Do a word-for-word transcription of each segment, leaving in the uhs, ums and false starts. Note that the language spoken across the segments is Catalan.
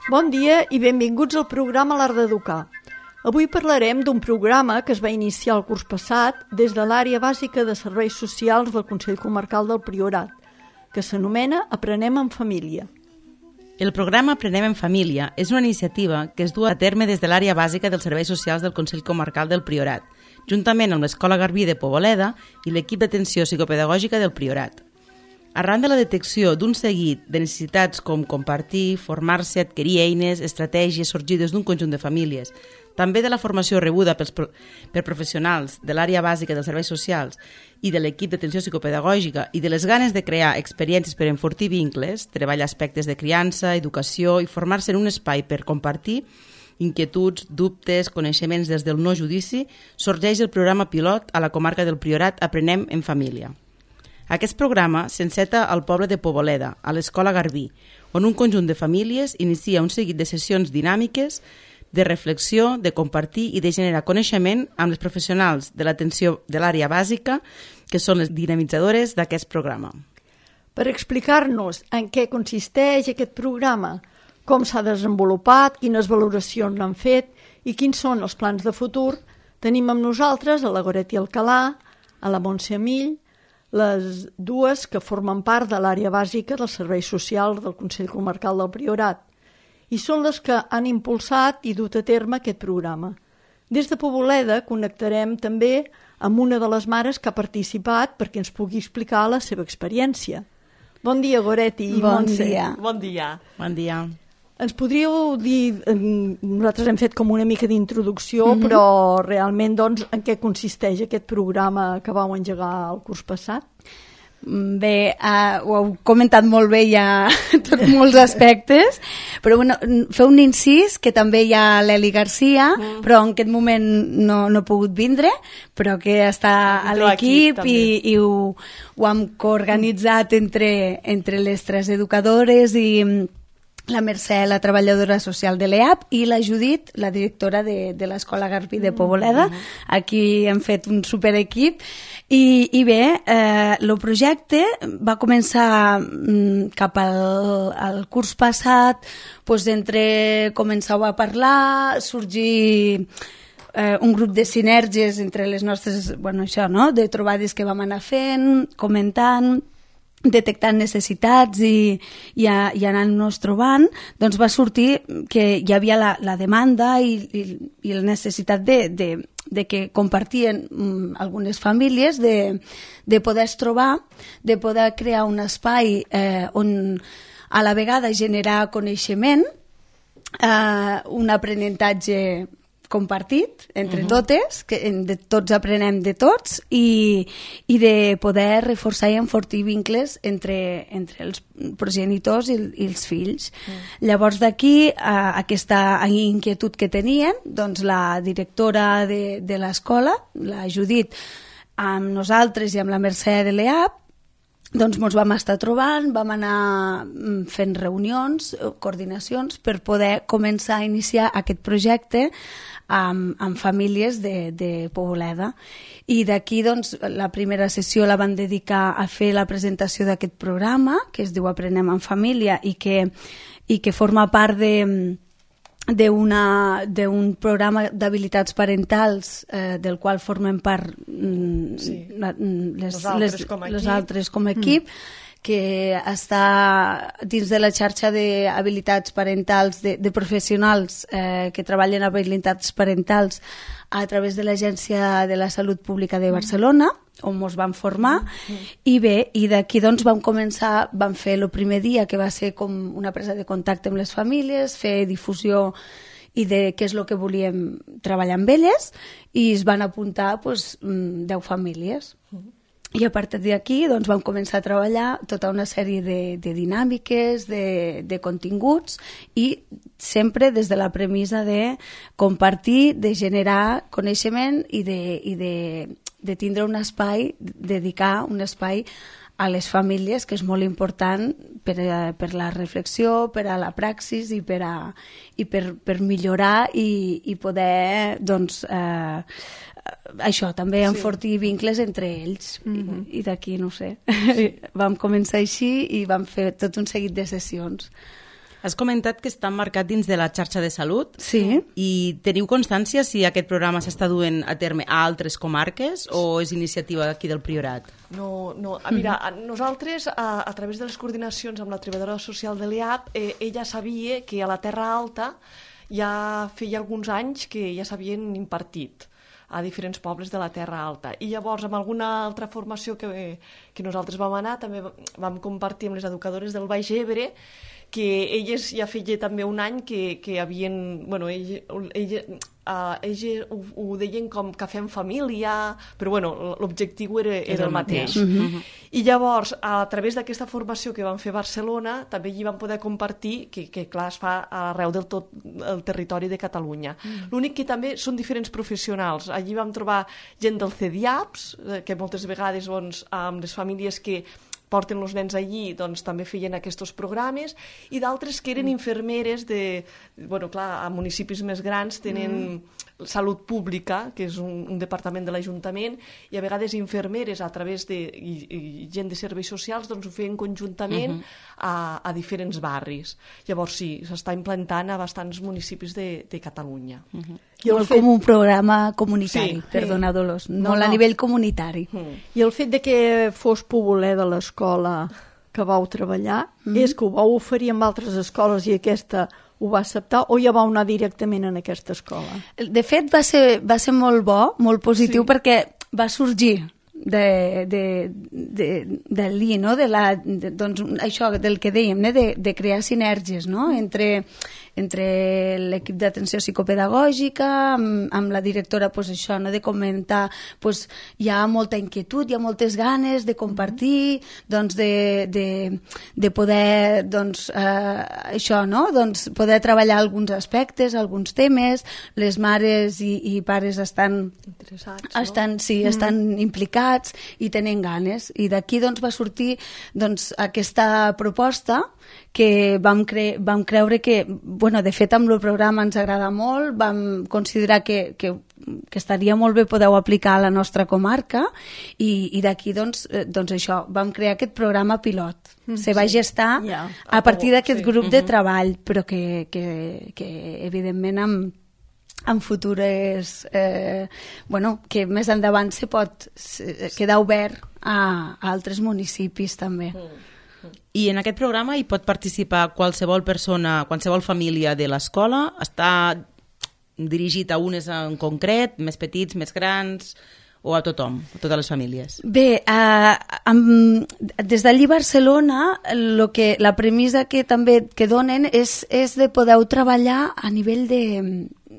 Bon dia i benvinguts al programa L'Art d'Educar. Avui parlarem d'un programa que es va iniciar el curs passat des de l'àrea bàsica de serveis socials del Consell Comarcal del Priorat, que s'anomena Aprenem en Família. El programa Aprenem en Família és una iniciativa que es du a terme des de l'àrea bàsica dels serveis socials del Consell Comarcal del Priorat, juntament amb l'Escola Garbí de Poboleda i l'equip d'atenció psicopedagògica del Priorat. Arran de la detecció d'un seguit de necessitats com compartir, formar-se, adquirir eines, estratègies sorgides d'un conjunt de famílies, també de la formació rebuda pels pro per professionals de l'àrea bàsica dels serveis socials i de l'equip d'atenció psicopedagògica i de les ganes de crear experiències per enfortir vincles, treballar aspectes de criança, educació i formar-se en un espai per compartir inquietuds, dubtes, coneixements des del no judici, sorgeix el programa pilot a la comarca del Priorat Aprenem en Família. Aquest programa s'enceta al poble de Poboleda, a l'Escola Garbí, on un conjunt de famílies inicia un seguit de sessions dinàmiques de reflexió, de compartir i de generar coneixement amb les professionals de l'atenció de l'àrea bàsica, que són les dinamitzadores d'aquest programa. Per explicar-nos en què consisteix aquest programa, com s'ha desenvolupat, quines valoracions l'han fet i quins són els plans de futur, tenim amb nosaltres a la Goretti Alcalà, a la Montse Amill, les dues que formen part de l'àrea bàsica dels serveis socials del Consell Comarcal del Priorat, i són les que han impulsat i dut a terme aquest programa. Des de Poboleda connectarem també amb una de les mares que ha participat perquè ens pugui explicar la seva experiència. Bon dia, Goretti i bon Montse. Dia. Bon dia. Bon dia. Ens podríeu dir, nosaltres hem fet com una mica d'introducció, mm-hmm. però realment doncs, en què consisteix aquest programa que vau engegar el curs passat? Bé, uh, ho heu comentat molt bé ja tots molts aspectes, però bueno, fer un incís que també hi ha l'Eli Garcia, mm. però en aquest moment no, no ha pogut vindre, però que està a l'equip i, i ho, ho hem coorganitzat entre, entre les tres educadores i la Mercè, la treballadora social de l'E A P, i la Judit, la directora de, de l'Escola Garbí de Poboleda. Aquí hem fet un superequip. I, i bé, eh, el projecte va començar mm, cap al, al curs passat, doncs entre començar a parlar, sorgir eh, un grup de sinergies entre les nostres, bueno, això, no?, de trobades que vam anar fent, comentant, detectant necessitats i, i, a, i anant-nos trobant, doncs va sortir que hi havia la, la demanda i, i, i la necessitat de, de, de que compartien um, algunes famílies de, de poder es trobar, de poder crear un espai eh, on a la vegada generar coneixement, eh, un aprenentatge compartit entre uh-huh. totes, que de tots aprenem de tots, i, i de poder reforçar i enfortir vincles entre, entre els progenitors i, i els fills. Uh-huh. Llavors d'aquí, a, aquesta inquietud que tenien, doncs la directora de, de l'escola, la Judit, amb nosaltres i amb la Mercè de l'E A P, doncs ens vam estar trobant, vam anar fent reunions, coordinacions, per poder començar a iniciar aquest projecte amb, amb famílies de, de Poboleda. I d'aquí, doncs, la primera sessió la van dedicar a fer la presentació d'aquest programa, que es diu Aprenem en Família, i que, i que forma part de... d'un programa d'habilitats parentals eh, del qual formem part mm, sí. la, les, les, altres les, com les altres com a equip, mm. que està dins de la xarxa d'habilitats parentals de, de professionals eh, que treballen en habilitats parentals a través de l'Agència de la Salut Pública de Barcelona, on ens vam formar, mm. i bé, i d'aquí doncs vam començar, vam fer el primer dia, que va ser com una presa de contacte amb les famílies, fer difusió i de què és el que volíem treballar amb elles, i es van apuntar doncs, deu famílies. Mm. I a partir d'aquí doncs, vam començar a treballar tota una sèrie de, de dinàmiques, de, de continguts, i sempre des de la premissa de compartir, de generar coneixement i de, i de, de tindre un espai, dedicar un espai a les famílies, que és molt important per, a, per la reflexió, per a la praxis i per, a, i per, per millorar i, i poder, doncs, eh, això, també enfortir sí. vincles entre ells. Mm-hmm. I, i d'aquí, no sé, vam començar així i vam fer tot un seguit de sessions. Has comentat que està marcat dins de la xarxa de salut. Sí. I teniu constància si aquest programa s'està duent a terme a altres comarques o és iniciativa d'aquí del Priorat? No, no. Mira, nosaltres, a, a través de les coordinacions amb la treballadora social de l'E A P, eh, ella sabia que a la Terra Alta ja feia alguns anys que ja s'havien impartit a diferents pobles de la Terra Alta. I llavors, amb alguna altra formació que, que nosaltres vam anar, també vam compartir amb les educadores del Baix Ebre, que elles ja feia també un any que, que havien... Bueno, elles, elles, uh, elles ho, ho deien com cafè en família, però bueno, l'objectiu era, era el mateix. Mm-hmm. I llavors, a través d'aquesta formació que vam fer a Barcelona, també hi vam poder compartir, que, que clar, es fa arreu del tot el territori de Catalunya. Mm. L'únic que també són diferents professionals. Allí vam trobar gent del C D I A P S, que moltes vegades doncs, amb les famílies que porten els nens allí, doncs també feien aquests programes, i d'altres que eren infermeres de... Bueno, clar, a municipis més grans tenen mm. salut pública, que és un, un departament de l'Ajuntament, i a vegades infermeres a través de... i, i gent de serveis socials, doncs ho feien conjuntament mm-hmm. a, a diferents barris. Llavors sí, s'està implantant a bastants municipis de, de Catalunya. Mm-hmm. I molt fet... com un programa comunitari, sí, perdona, sí. Dolors, no, molt no. a nivell comunitari. Mm. I el fet de que fos Poboler de l'escola que vau treballar, mm. és que ho vau oferir amb altres escoles i aquesta ho va acceptar, o ja vau anar directament en aquesta escola? De fet, va ser, va ser molt bo, molt positiu, sí. perquè va sorgir de, de, de, de l'I, no? de la, de, doncs, això del que dèiem, eh? de, de crear sinergies, no? entre, entre l'equip d'atenció psicopedagògica, amb, amb la directora, pues, això, no? de comentar, pues, hi ha molta inquietud, hi ha moltes ganes de compartir, doncs, de, de, de poder, doncs, eh, això, no? doncs, poder treballar alguns aspectes, alguns temes, les mares i, i pares estan, interessats, estan, no? sí, estan mm. implicats i tenen ganes, i d'aquí doncs, va sortir doncs, aquesta proposta que vam, cre vam creure que, bueno, de fet amb el programa ens agrada molt, vam considerar que, que, que estaria molt bé poder-ho aplicar a la nostra comarca, i, i d'aquí doncs, doncs això, vam crear aquest programa pilot. Mm, Se va sí. gestar yeah. a partir d'aquest sí. grup mm-hmm. de treball, però que, que, que evidentment amb en futures, eh, bueno, que més endavant se pot quedar obert a, a altres municipis també. I en aquest programa hi pot participar qualsevol persona, qualsevol família de l'escola? Està dirigit a unes en concret, més petits, més grans, o a tothom, a totes les famílies? Bé, eh, amb, des d'allí Barcelona, lo que, la premissa que també que donen és, és de poder treballar a nivell de...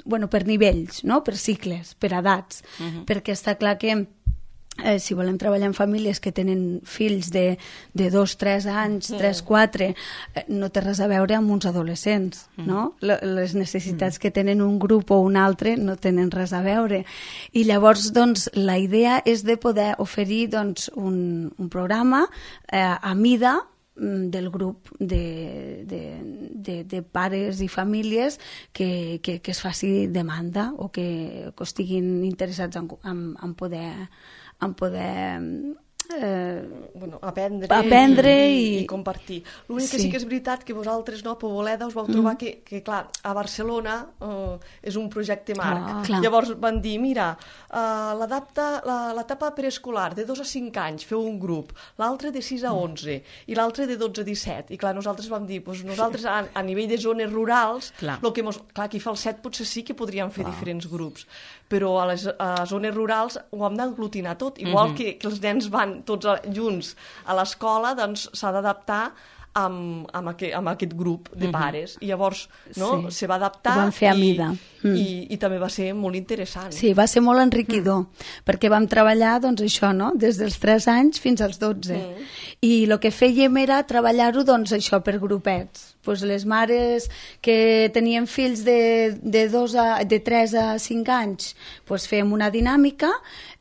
bueno, per nivells, no? Per cicles, per edats, uh-huh. perquè està clar que eh, si volem treballar en famílies que tenen fills de, de dos, tres anys, tres, quatre, eh, no té res a veure amb uns adolescents, uh-huh. no? Les necessitats uh-huh. que tenen un grup o un altre no tenen res a veure. I llavors, doncs, la idea és de poder oferir, doncs, un, un programa eh, a mida del grup de, de, de, de pares i famílies que, que, que es faci demanda o que, que estiguin interessats en, en, en poder, en poder eh, bueno, aprendre, aprendre i, i, i compartir. L'únic sí. que sí que és veritat que vosaltres, no, a Poboleda, us vau trobar mm. que, que, clar, a Barcelona uh, és un projecte marc. Ah, clar. Llavors van dir, mira, uh, l'etapa preescolar de dos a cinc anys feu un grup, l'altre de sis a onze mm. i l'altre de dotze a disset. I clar, nosaltres vam dir, doncs nosaltres a, a nivell de zones rurals, clar, lo que mos, clar, aquí fa el set potser sí que podríem fer clar. diferents grups, però a les a zones rurals ho hem d'aglutinar tot, igual mm-hmm. que, que els nens van tots junts a l'escola, doncs s'ha d'adaptar amb, amb, aquest, amb aquest grup de pares. I llavors no, sí. se va adaptar ho vam fer a mida. I, mm. i, i també va ser molt interessant. Sí, va ser molt enriquidor, mm. perquè vam treballar doncs, això, no? Des dels tres anys fins als dotze. Mm. I el que fèiem era treballar-ho doncs, això per grupets. pues les mares que tenien fills de, de, dos a, de tres a cinc anys, pues fèiem una dinàmica,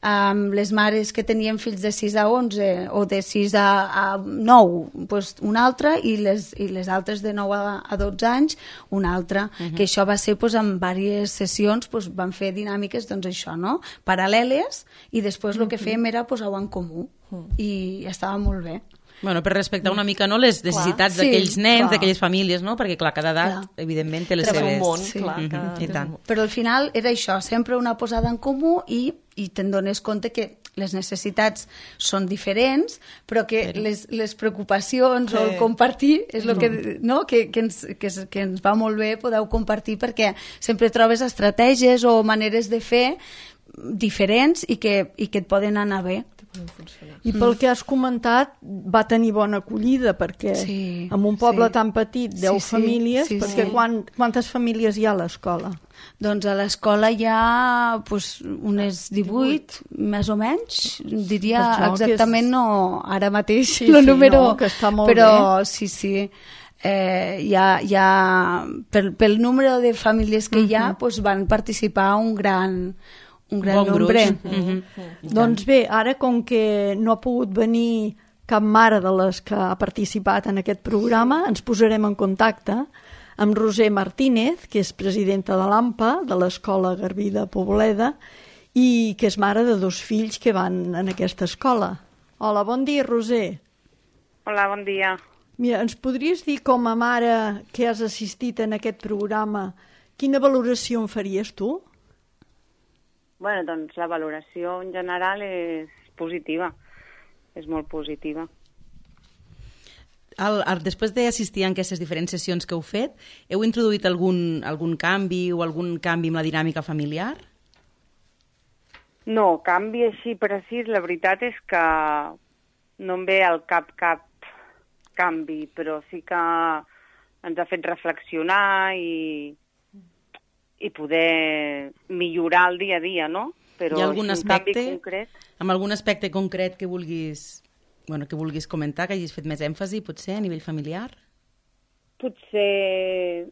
amb les mares que tenien fills de sis a onze o de sis a, a nou, pues una altra, i les, i les altres de nou a, a dotze anys, una altra. Uh-huh. Que això va ser pues, en diverses sessions, pues, van fer dinàmiques, doncs això, no? Paral·leles, i després el uh-huh. que fèiem era posar-ho en comú, uh-huh. i estava molt bé. Bueno, per respectar una mica, no?, les necessitats clar, d'aquells sí, nens, clar. d'aquelles famílies, no?, perquè, clar, cada edat, clar. evidentment, té les Però seves... un món, sí. clar, Mm-hmm. cada... I tant. Però al final era això, sempre una posada en comú, i, i te'n dones compte que les necessitats són diferents, però que sí. les, les preocupacions sí. o el compartir és el que, no? que, que, ens, que, que ens va molt bé, podeu compartir, perquè sempre trobes estratègies o maneres de fer diferents i que, i que et poden anar bé. I pel que has comentat, va tenir bona acollida, perquè sí, en un poble sí. tan petit, deu sí, sí, famílies, sí, perquè sí. Quan, quantes famílies hi ha a l'escola? Doncs a l'escola hi ha pues, unes divuit, més o menys, diria exactament, és... no ara mateix sí, el sí, número, no, que està molt però bé. sí, sí, eh, hi ha, hi ha pel, pel número de famílies que uh-huh. hi ha, pues, van participar un gran... un gran bon nombre. Mm-hmm. Mm-hmm. Doncs bé, ara com que no ha pogut venir cap mare de les que ha participat en aquest programa, ens posarem en contacte amb Roser Martínez, que és presidenta de l'AMPA, de l'Escola Garbí de Poboleda, i que és mare de dos fills que van en aquesta escola. Hola, bon dia, Roser. Hola, bon dia. Mira, ens podries dir, com a mare que has assistit en aquest programa, quina valoració en faries tu? Bueno, doncs la valoració en general és positiva, és molt positiva. El, el, després d'assistir a aquestes diferents sessions que heu fet, heu introduït algun, algun canvi o algun canvi en la dinàmica familiar? No, canvi així precís, la veritat és que no em ve al cap cap canvi, però sí que ens ha fet reflexionar i... i poder millorar el dia a dia, no? Però hi ha algun aspecte, concret... amb algun aspecte concret que vulguis, bueno, que vulguis comentar, que hagis fet més èmfasi, potser, a nivell familiar? Potser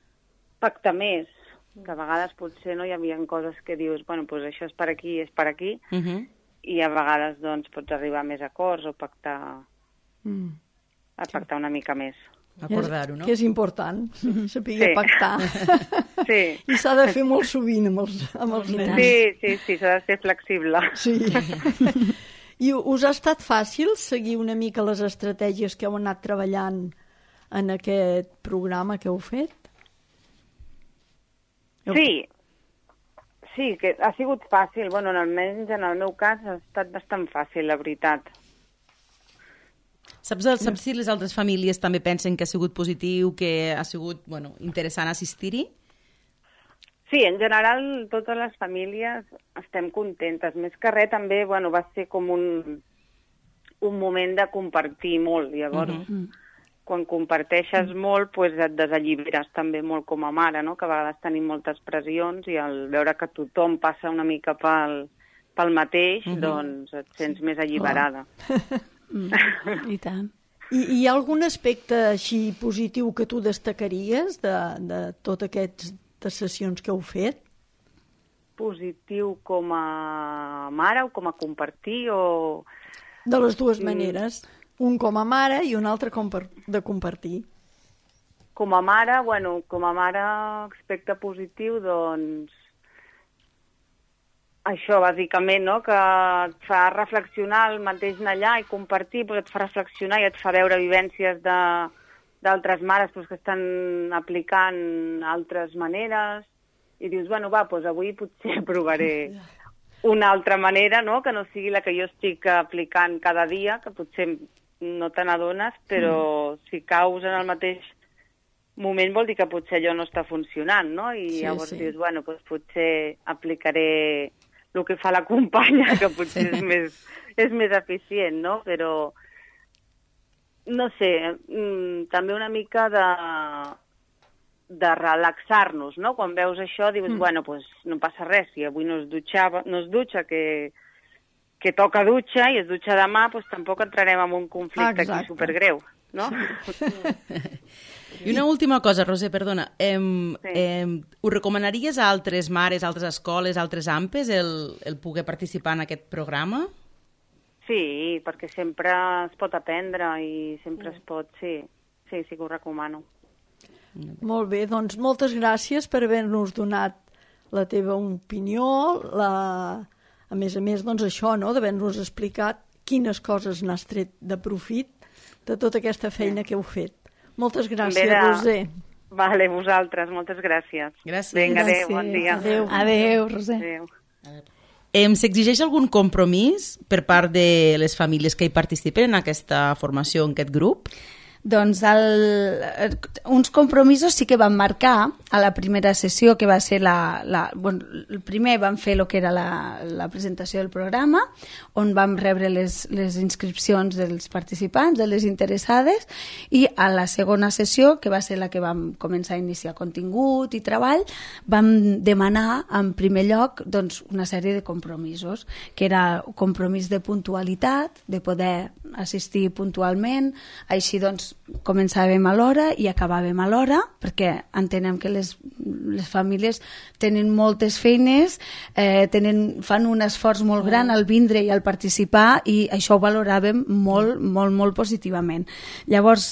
pactar més, que a vegades potser no hi havia coses que dius, bueno, doncs això és per aquí, és per aquí, uh-huh. i a vegades doncs pots arribar a més acords o pactar, mm. a pactar una mica més. Acordar-ho, no? Que és important, saber sí. pactar. Sí. I s'ha de fer molt sovint amb els, amb els nens. Sí, sí, sí, s'ha de ser flexible. Sí. I us ha estat fàcil seguir una mica les estratègies que heu anat treballant en aquest programa que heu fet? Sí, sí, que ha sigut fàcil. Bueno, almenys en el meu cas ha estat bastant fàcil, la veritat. Saps, saps si les altres famílies també pensen que ha sigut positiu, que ha sigut bueno, interessant assistir-hi? Sí, en general totes les famílies estem contentes. Més que res també bueno, va ser com un, un moment de compartir molt. Llavors, uh-huh. quan comparteixes uh-huh. molt, pues et desalliberes també molt com a mare, no? Que a vegades tenim moltes pressions i al veure que tothom passa una mica pel, pel mateix, uh-huh. doncs et sents sí. més alliberada. Mm, I tant. I hi ha algun aspecte així positiu que tu destacaries de, de totes aquestes sessions que heu fet? Positiu com a mare o com a compartir? O... De les dues maneres. Un com a mare i un altre com per, de compartir. Com a mare, bueno, com a mare aspecte positiu, doncs això, bàsicament, no? Que et fa reflexionar el mateix anar allà i compartir, doncs et fa reflexionar i et fa veure vivències d'altres mares doncs, que estan aplicant altres maneres i dius, bueno, va, doncs avui potser provaré una altra manera, no? Que no sigui la que jo estic aplicant cada dia, que potser no te n'adones, però mm. si caus en el mateix moment vol dir que potser allò no està funcionant, no? I sí, llavors sí. dius, bueno, doncs potser aplicaré el que fa la companya, que potser sí. és, més, és més eficient, no? Però, no sé, també una mica de, de relaxar-nos, no? Quan veus això dius, mm. bueno, pues no passa res, si avui no es dutxava, no es dutxa, que, que toca dutxa i es dutxa demà, doncs tampoc entrarem en un conflicte Exacte. aquí supergreu, no? I una última cosa, Roser, perdona. Em, Sí. em, ho recomanaries a altres mares, altres escoles, altres AMPes, el, el poder participar en aquest programa? Sí, perquè sempre es pot aprendre i sempre es pot, sí, sí, sí que ho recomano. Molt bé, doncs moltes gràcies per haver-nos donat la teva opinió, la... a més a més, doncs això, no?, d'haver-nos explicat quines coses n'has tret de profit de tota aquesta feina que heu fet. Moltes gràcies, També de- Roser. Vale, vosaltres, moltes gràcies. Gràcies. Vinga, adéu, Gràcies. bon dia. Adéu. Adéu, Roser. Adéu. Em s'exigeix algun compromís per part de les famílies que hi participen en aquesta formació, en aquest grup? Doncs el, uns compromisos sí que van marcar a la primera sessió, que va ser la... la bueno, el primer vam fer el que era la, la presentació del programa, on vam rebre les, les inscripcions dels participants, de les interessades, i a la segona sessió, que va ser la que vam començar a iniciar contingut i treball, vam demanar en primer lloc doncs, una sèrie de compromisos, que era compromís de puntualitat, de poder assistir puntualment, així doncs començàvem a l'hora i acabàvem a l'hora, perquè entenem que les, les famílies tenen moltes feines, eh, tenen, fan un esforç molt gran al vindre i al participar, i això ho valoràvem molt, molt, molt positivament. Llavors,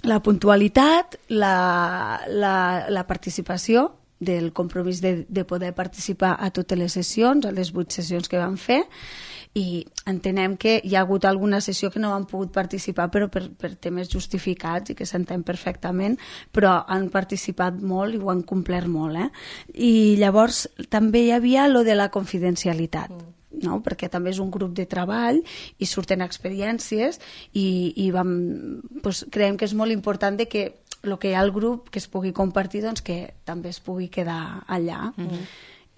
la puntualitat, la, la, la participació, del compromís de, de poder participar a totes les sessions, a les vuit sessions que vam fer, i entenem que hi ha hagut alguna sessió que no han pogut participar, però per, per temes justificats i que s'entén perfectament, però han participat molt i ho han complert molt. Eh? I llavors també hi havia lo de la confidencialitat, no? Perquè també és un grup de treball i surten experiències i, i vam, doncs, creiem que és molt important de que el que hi ha al grup que es pugui compartir, doncs que també es pugui quedar allà. Mm-hmm.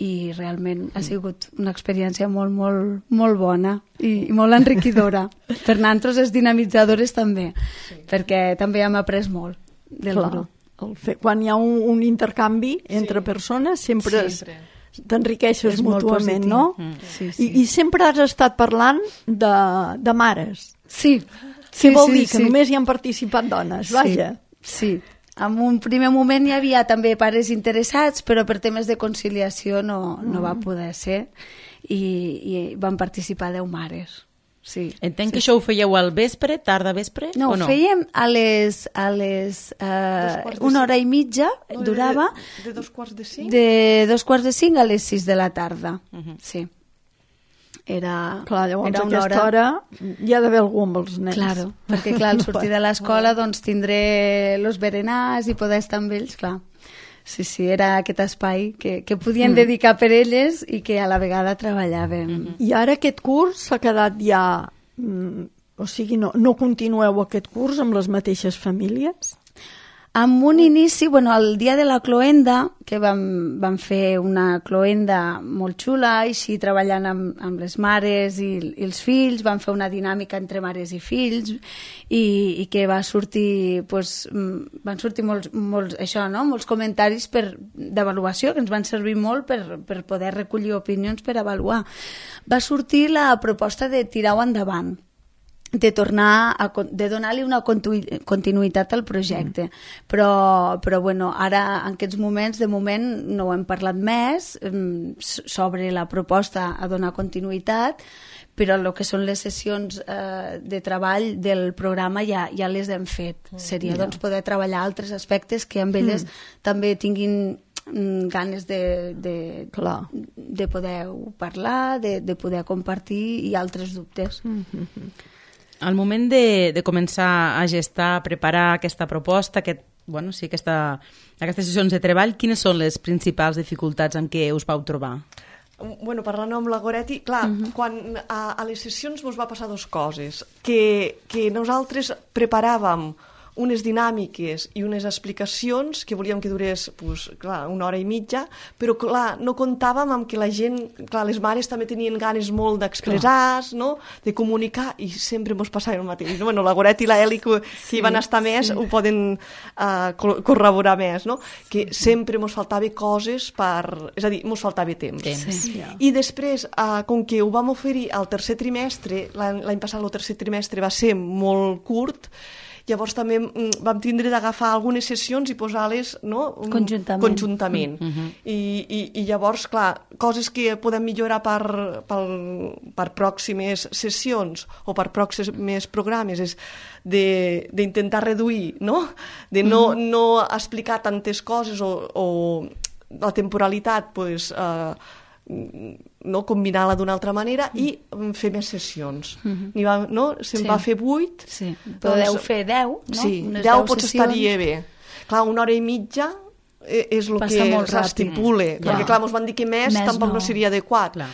I realment ha sigut una experiència molt, molt, molt bona i, i molt enriquidora. Per nosaltres és dinamitzadores també, sí. Perquè també hem après molt del Clar, grup. el fe, quan hi ha un, un intercanvi entre Sí. persones sempre, Sempre. t'enriqueixes És molt mútuament, positiu. no? Mm. Sí, sí. I, I sempre has estat parlant de, de mares. Sí. Què Sí, vol sí, dir? Que sí. només hi han participat dones, vaja. Sí, sí. En un primer moment hi havia també pares interessats, però per temes de conciliació no, no va poder ser, i, i van participar deu mares. Sí. Entenc sí. que això ho fèieu al vespre, tarda vespre, No, o no? ho fèiem a les, a les Dos eh, quarts de una cinc. hora i mitja, No, de- durava, De, de dos quarts de cinc? de dos quarts de cinc a les sis de la tarda. Uh -huh. Sí. Era, Clar, llavors era a una aquesta hora... hi ha d'haver algú amb els nens. Claro, perquè clar, al sortir de l'escola doncs tindré los berenars i poder estar amb ells, clar. Sí, sí, era aquest espai que, que podien mm. dedicar per elles i que a la vegada treballàvem. Mm -hmm. I ara aquest curs s'ha quedat ja... Mm, o sigui, no, no continueu aquest curs amb les mateixes famílies? Amb un inici, bueno, el dia de la cloenda, que vam, vam fer una cloenda molt xula, així treballant amb, amb les mares i, i els fills, vam fer una dinàmica entre mares i fills, i, i que va sortir, pues, van sortir molts, molts, això, no? molts comentaris per, d'avaluació, que ens van servir molt per, per poder recollir opinions per avaluar. Va sortir la proposta de tirar-ho endavant, de tornar a, de donar-li una continuïtat al projecte, mm. però, però bueno, ara en aquests moments de moment no ho hem parlat més sobre la proposta a donar continuïtat, però el que són les sessions eh, de treball del programa ja, ja les hem fet. Mm. Seria yeah. doncs poder treballar altres aspectes que amb elles mm. també tinguin ganes de, de, Clar. de poder parlar, de, de poder compartir i altres dubtes. Mm-hmm. Al moment de, de començar a gestar, a preparar aquesta proposta, aquest, bueno, sí, aquesta, aquestes sessions de treball, quines són les principals dificultats en què us vau trobar? Bueno, parlant amb la Goretti, clar, uh-huh. quan a, a les sessions ens va passar dues coses, que, que nosaltres preparàvem unes dinàmiques i unes explicacions que volíem que durés pues, clar, una hora i mitja, però clar, no comptàvem amb que la gent, clar, les mares també tenien ganes molt d'expressar, no? De comunicar, i sempre mos passava el mateix. No? Bueno, la Goret i la Eli, que, que sí, hi van estar més, sí. ho poden uh, corroborar més, no? Que sempre mos faltava coses per... És a dir, mos faltava temps. temps. Sí. I després, uh, com que ho vam oferir al tercer trimestre, l'any passat el tercer trimestre va ser molt curt, llavors també vam tindre d'agafar algunes sessions i posar-les, no? Conjuntament. Conjuntament. Mm -hmm. I, i, I llavors, clar, coses que podem millorar per, per, per pròximes sessions o per pròxims programes és d'intentar reduir, no? De no, mm -hmm. no explicar tantes coses o, o la temporalitat, pues, eh, no combinar-la d'una altra manera mm. i fer més sessions. Mm -hmm. va, no? Se'n sí. va fer vuit. Sí. Podeu doncs, fer deu, no? Sí, Unes deu potser estaria bé. Clar, una hora i mitja és el Passa que s'estipula, clar. perquè clar, mos van dir que més, més tampoc no, no seria adequat. Clar.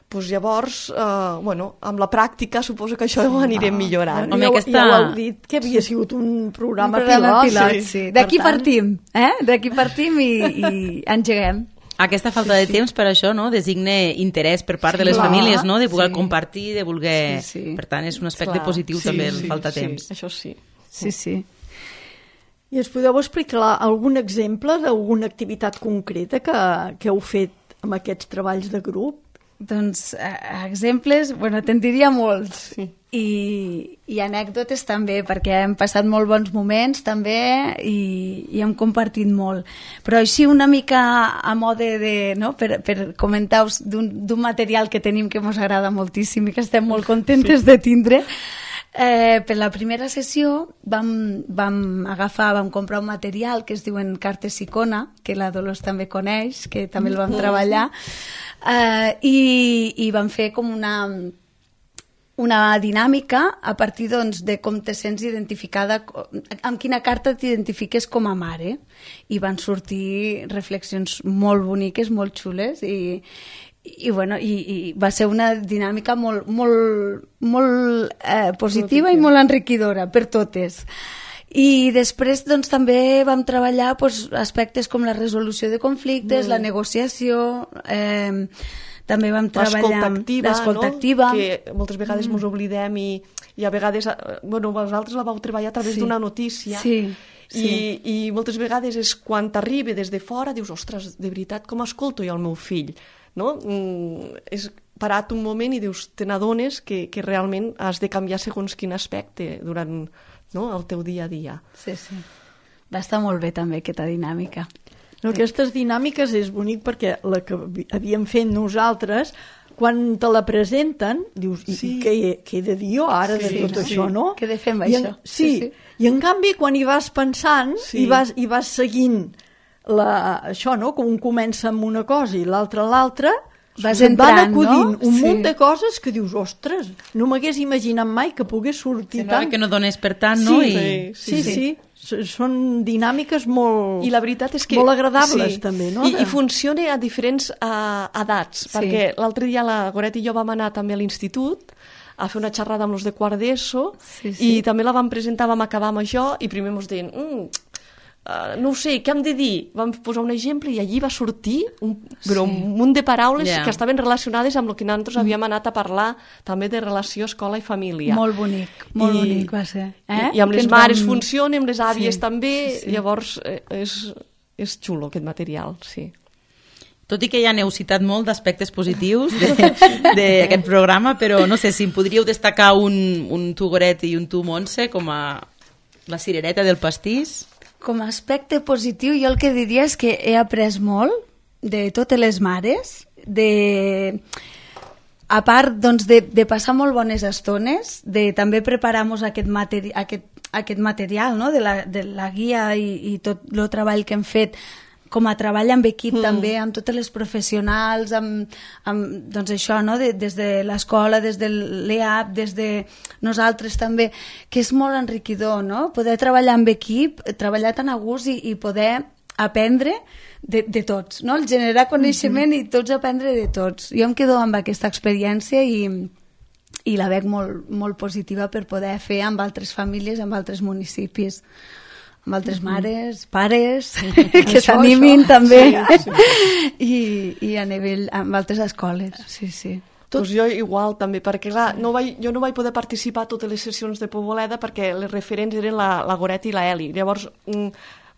Pues llavors, eh, bueno, amb la pràctica suposo que això ho anirem millorant. Bueno, ja, aquesta... ja ho heu dit, que havia sigut un programa, un programa pilot. pilot sí. sí. D'aquí tant... partim, eh? D'aquí partim i, i engeguem. Aquesta falta de temps, per això, no? Designa interès per part sí, de les clar, famílies, no? De voler sí. compartir, de voler... Sí, sí. Per tant, és un aspecte clar, positiu sí, també, sí, el falta sí, temps. Això sí. Sí, sí. I ens podeu explicar algun exemple d'alguna activitat concreta que, que heu fet amb aquests treballs de grup? Doncs eh, exemples, bueno, te'n diria molts. Sí. I, i anècdotes també, perquè hem passat molt bons moments també i, i hem compartit molt. Però així una mica a mode de, no? per, per comentar-vos d'un material que tenim que ens agrada moltíssim i que estem molt contentes sí. de tindre. Eh, per la primera sessió vam, vam agafar, vam comprar un material que es diuen cartes icona, que la Dolors també coneix, que també el vam treballar, eh, i, i vam fer com una... una dinàmica a partir doncs, de com te sents identificada, amb quina carta t'identifiques com a mare. I van sortir reflexions molt boniques, molt xules, i, i, bueno, i, i va ser una dinàmica molt, molt, molt eh, positiva i molt enriquidora per totes. I després doncs, també vam treballar doncs, aspectes com la resolució de conflictes, mm. la negociació... Eh, també vam treballar l'escolta activa, no? Que moltes vegades mm. ens oblidem i, i a vegades, bueno, vosaltres la vau treballar a través sí. d'una notícia sí. Sí. I, i moltes vegades és quan t'arriba des de fora, dius, ostres, de veritat, com escolto jo el meu fill? No? Mm, és parat un moment i dius, te n'adones que, que realment has de canviar segons quin aspecte durant no, el teu dia a dia. Sí, sí. Va estar molt bé també aquesta dinàmica. No, aquestes dinàmiques és bonic perquè la que havíem fet nosaltres, quan te la presenten, dius, sí. què, he, què he de dir jo ara sí, de tot sí. això, no? Què he de fer amb I això? En, sí, sí, sí, i en canvi quan hi vas pensant sí. i, vas, i vas seguint la, això, no? Com un comença amb una cosa i l'altra l'altra, vas entrant, van acudint no? un sí. munt de coses que dius, ostres, no m'hagués imaginat mai que pogués sortir sí, tant. Que no donés per tant, sí, no? I... I... Sí, sí, sí. sí. Són dinàmiques molt, I la veritat és que, molt agradables, sí. també, no? I, i funciona a diferents uh, edats, sí. perquè l'altre dia la Goret i jo vam anar també a l'institut a fer una xerrada amb els de quart d'ESO sí, sí. i també la vam presentar, vam acabar amb això i primer ens deien, mm, uh, no ho sé, què hem de dir? Vam posar un exemple i allí va sortir un, però sí. un munt de paraules yeah. que estaven relacionades amb el que nosaltres mm. havíem anat a parlar també de relació escola i família. Molt bonic, molt I, bonic va ser. Eh? I, i amb que les mares vam... funciona, amb les àvies sí. també, sí. llavors eh, és, és xulo aquest material, sí. Tot i que ja n'heu citat molt d'aspectes positius d'aquest programa, però no sé si em podríeu destacar un, un tu, Goret, i un tu, Montse, com a la cirereta del pastís. Com a aspecte positiu, jo el que diria és que he après molt de totes les mares, de... a part doncs, de, de passar molt bones estones, de també preparar-nos aquest, materi aquest, aquest material, no? de, la, de la guia i, i tot el treball que hem fet, com a treball amb equip mm. també, amb totes les professionals, amb, amb doncs això, no? de, des de l'escola, des de l'E A P, des de nosaltres també, que és molt enriquidor, no? Poder treballar amb equip, treballar tan a gust i, i poder aprendre de, de tots, no? El generar coneixement mm-hmm. i tots aprendre de tots. Jo em quedo amb aquesta experiència i, i la veig molt, molt positiva per poder fer amb altres famílies, amb altres municipis, amb altres mares, pares, que s'animin també, sí, sí. I, i a nivell, amb altres escoles, sí, sí. Tot... Pues jo igual també, perquè clar, no vaig, jo no vaig poder participar a totes les sessions de Poboleda perquè les referents eren la, la Goret i la Eli. Llavors,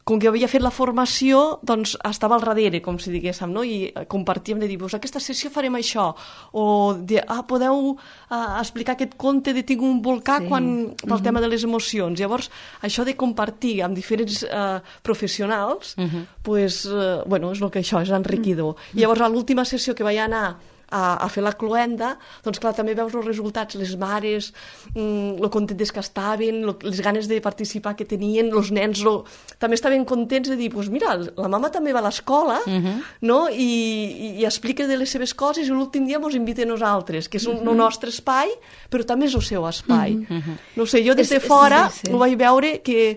com que havia fet la formació, doncs estava al darrere, com si diguéssim, no? I compartíem de dir, pues, aquesta sessió farem això, o de, ah, podeu uh, explicar aquest conte de Tinc un volcà sí. quan, pel uh-huh. tema de les emocions. Llavors, això de compartir amb diferents uh, professionals, uh-huh. pues, uh, bueno, és el que això, és enriquidor. Uh-huh. I llavors, a l'última sessió que vaig anar a, a fer la cloenda, doncs clar, també veus els resultats, les mares, mm, lo contentes que estaven, lo, les ganes de participar que tenien, els nens lo, també estaven contents de dir, pues mira, la mama també va a l'escola, uh-huh. no? I, i, i explica de les seves coses i l'últim dia ens invita a nosaltres, que és un, uh-huh. el nostre espai, però també és el seu espai. Uh-huh. No sé, jo des de fora sí, sí. ho vaig veure que,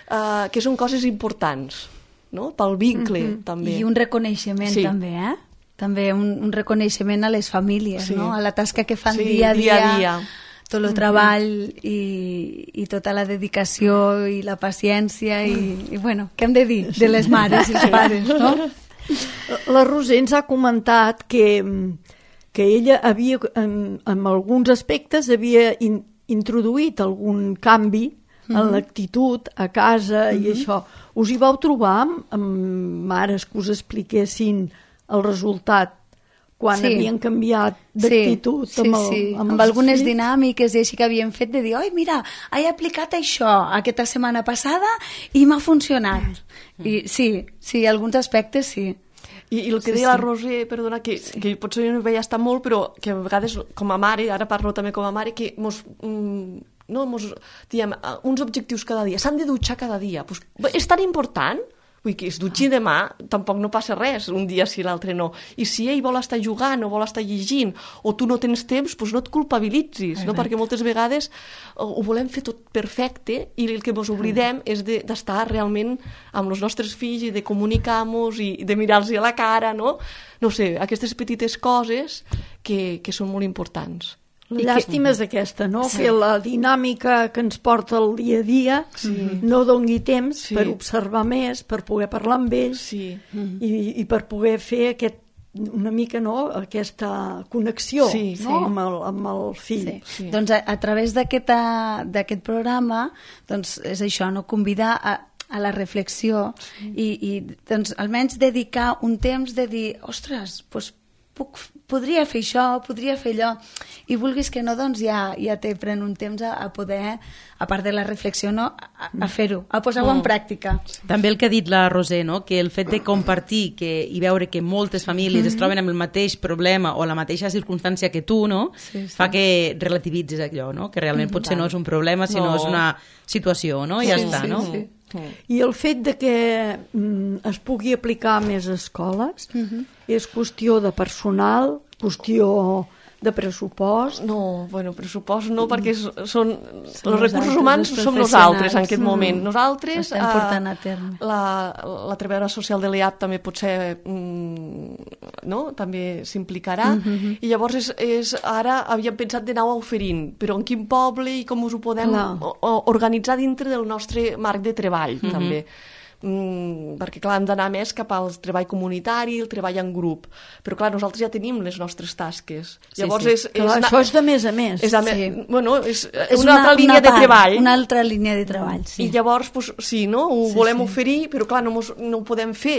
uh, que són coses importants, no? Pel vincle, uh-huh. també. I un reconeixement sí. també, eh? També un, un reconeixement a les famílies, sí. no? A la tasca que fan sí, dia a dia, dia, a dia. tot el treball i, i tota la dedicació i la paciència i, i bueno, què hem de dir de les mares i els pares, no? La Roser ens ha comentat que, que ella havia, en, en alguns aspectes, havia in, introduït algun canvi en mm-hmm. l'actitud a casa mm-hmm. i això. Us hi vau trobar amb, amb mares que us expliquessin el resultat quan sí. havien canviat d'actitud sí, amb, el, sí, sí. amb, amb algunes fills. Dinàmiques i així que havien fet de dir, oi, mira, he aplicat això aquesta setmana passada i m'ha funcionat. Mm. I sí, sí, alguns aspectes sí. I, i el que sí, deia sí. la Roser, perdona, que, sí. que potser no veia estar molt, però que a vegades com a mare, ara parlo també com a mare, que mos... Mm, no, mos, diem, uns objectius cada dia, s'han de dutxar cada dia. Pues, és tan important? Vull dir que es dutxi demà, tampoc no passa res, un dia sí, l'altre no. I si ell vol estar jugant o vol estar llegint o tu no tens temps, doncs no et culpabilitzis, no? Perquè moltes vegades ho volem fer tot perfecte i el que ens oblidem és de, d'estar realment amb els nostres fills i de comunicar-nos i de mirar-los a la cara, no? No sé, aquestes petites coses que, que són molt importants. La llàstima és aquesta, no? Sí. Que la dinàmica que ens porta el dia a dia sí. no doni temps sí. per observar més, per poder parlar amb ells sí. i, i per poder fer aquest, una mica no? Aquesta connexió sí, no? sí. Amb, el, amb el fill. Sí. Sí. Doncs a, a través d'aquest, d'aquest programa doncs és això, no? Convidar a a la reflexió sí. i, i doncs, almenys dedicar un temps de dir, ostres, doncs puc, podria fer això, podria fer allò, i vulguis que no, doncs ja, ja te pren un temps a, a poder, a part de la reflexió, no? a, a fer-ho, a posar-ho mm. en pràctica. També el que ha dit la Roser, no? Que el fet de compartir que, i veure que moltes famílies mm-hmm. es troben amb el mateix problema o la mateixa circumstància que tu, no? Sí, sí. Fa que relativitzis allò, no? Que realment mm, potser no és un problema, sinó no. és una situació, no? I ja sí, està, sí, no? Sí. I el fet de que mm, es pugui aplicar a més escoles uh-huh. és qüestió de personal, qüestió de pressupost? No, bueno, pressupost no, perquè són, són els recursos humans som nosaltres en aquest moment. Nosaltres, estem portant a terme. La, la treballadora social de l'E A P també potser mm, no? també s'implicarà mm-hmm. i llavors és, és, ara havíem pensat d'anar oferint, però en quin poble i com us ho podem o, o, organitzar dintre del nostre marc de treball mm-hmm. també. Mm, perquè clar, hem d'anar més cap al treball comunitari, el treball en grup, però clar, nosaltres ja tenim les nostres tasques. Sí, llavors sí. És, és clar, això és de més a més. És, me... sí. bueno, és, és una, una altra línia una part, de treball. Una altra línia de treball, sí. I llavors, pues, sí, no? Ho sí, volem sí. oferir, però clar, no, mos, no ho podem fer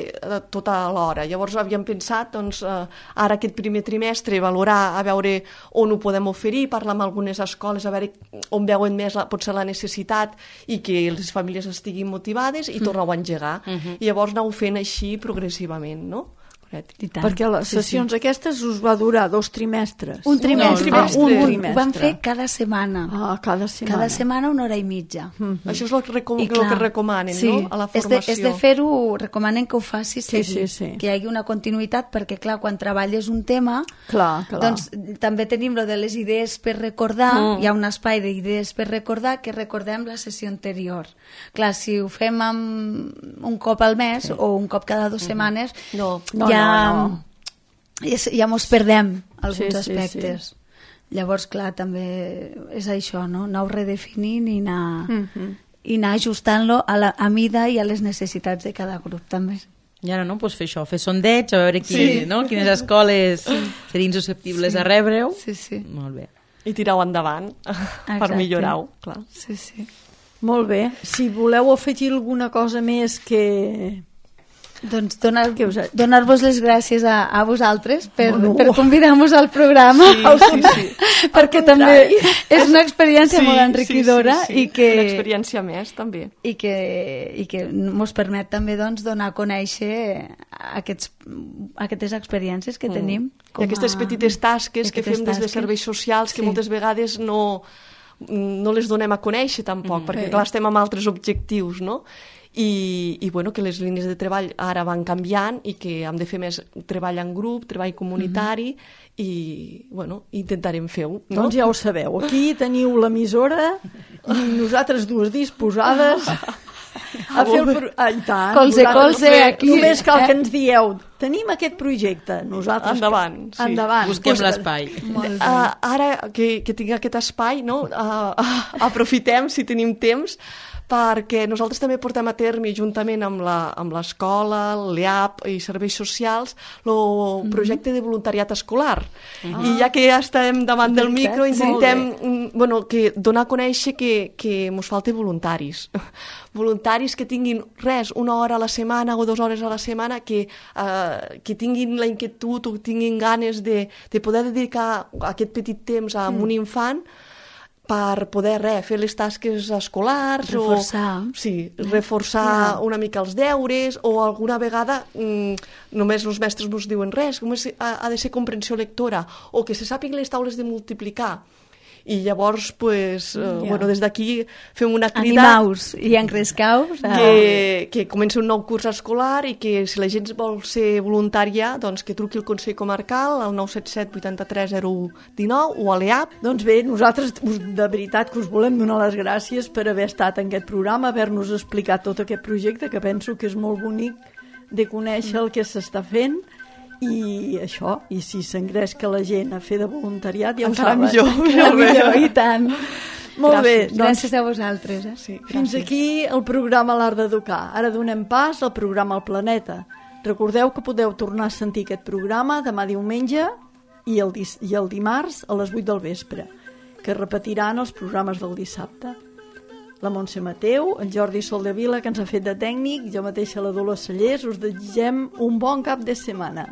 tot a l'hora. Llavors havíem pensat, doncs, eh, ara aquest primer trimestre, valorar, a veure on ho podem oferir, parlar amb algunes escoles, a veure on veuen més la, potser la necessitat i que les famílies estiguin motivades i mm. tornar-ho a engegar. Uh-huh. I llavors aneu fent així progressivament, no? Perquè les sessions sí, sí. aquestes us va durar dos trimestres. Un trimestre. No, un trimestre. Un, un trimestre. Ho vam fer cada setmana. Ah, cada setmana. Cada setmana una hora i mitja. Mm-hmm. Això és el que, recom- clar, el que recomanen, sí, no? A la formació. És de, és de fer-ho, recomanen que ho facis sí, sí, sí. que hi hagi una continuïtat, perquè clar, quan treballes un tema, clar, clar. doncs també tenim lo de les idees per recordar, mm. hi ha un espai d'idees per recordar, que recordem la sessió anterior. Clar, si ho fem amb un cop al mes sí. o un cop cada dues mm-hmm. setmanes, no, no, ja... no, no. Ja, ja mos perdem alguns sí, aspectes. Sí, sí. Llavors, clar, també és això, no? Anar-ho redefinint i anar, mm -hmm. i anar ajustant-lo a, la, a mida i a les necessitats de cada grup, també. I ara, no?, pues fer això, fer sondeig, a veure qui, sí. no? quines escoles sí. serien susceptibles sí. a rebre-ho. Sí, sí. Molt bé. I tirar-ho endavant. Exacte. Per millorar-ho, clar. Sí, sí. Molt bé. Si voleu afegir alguna cosa més que... Doncs donar, donar-vos les gràcies a, a vosaltres per, oh, no. per convidar-nos al programa, sí, sí, sí. perquè també és una experiència sí, molt enriquidora sí, sí, sí. i que una experiència més també i que, i que ens permet també doncs, donar a conèixer aquests, aquestes experiències que mm. tenim com i aquestes a... petites tasques que fem tasques. Des de serveis socials que sí. moltes vegades no, no les donem a conèixer tampoc, mm. perquè clar, estem amb altres objectius, no? I, i bueno, que les línies de treball ara van canviant i que hem de fer més treball en grup, treball comunitari mm-hmm. i bueno, intentarem fer-ho. No? Doncs ja ho sabeu, aquí teniu l'emissora i nosaltres dues disposades a fer el... Pro... Ah, i tant, colze, colze, aquí. Només cal que ens dieu, tenim aquest projecte, nosaltres... Endavant, sí. Endavant. Busquem pues, l'espai. Uh, ara que, que tinc aquest espai, no? uh, uh, aprofitem, si tenim temps, perquè nosaltres també portem a terme, juntament amb l'escola, l'E A P i serveis socials, el projecte mm-hmm. de voluntariat escolar. Ah. I ja que ja estem davant del micro, intentem bueno, que donar a conèixer que, que ens falta voluntaris. Voluntaris que tinguin res, una hora a la setmana o dues hores a la setmana, que, uh, que tinguin la inquietud o tinguin ganes de, de poder dedicar aquest petit temps a mm. un infant per poder res, fer les tasques escolars reforçar, o, sí, reforçar yeah. una mica els deures o alguna vegada mm, només els mestres no es diuen res, només ha, ha de ser comprensió lectora o que se sàpiguen les taules de multiplicar. I llavors, pues, yeah. uh, bueno, des d'aquí fem una crida... Animaus i engrescaus. Que, que comenci un nou curs escolar i que si la gent vol ser voluntària, doncs que truqui al Consell Comarcal al nou set set vuitanta-tres zero u dinou o a l'E A P. Doncs bé, nosaltres de veritat que us volem donar les gràcies per haver estat en aquest programa, haver-nos explicat tot aquest projecte, que penso que és molt bonic de conèixer el que s'està fent. I això, i si s'engresca la gent a fer de voluntariat, ja ho encara saben. Millor, encara millor, i tant. Molt gràcies. Bé, doncs, gràcies a vosaltres. Eh? Sí, fins aquí el programa L'Art d'Educar. Ara donem pas al programa El Planeta. Recordeu que podeu tornar a sentir aquest programa demà diumenge i el, i el dimarts a les vuit del vespre, que repetiran els programes del dissabte. La Montse Mateu, en Jordi Soldevila, que ens ha fet de tècnic, jo mateixa la Dolors Cellers, us desitgem un bon cap de setmana.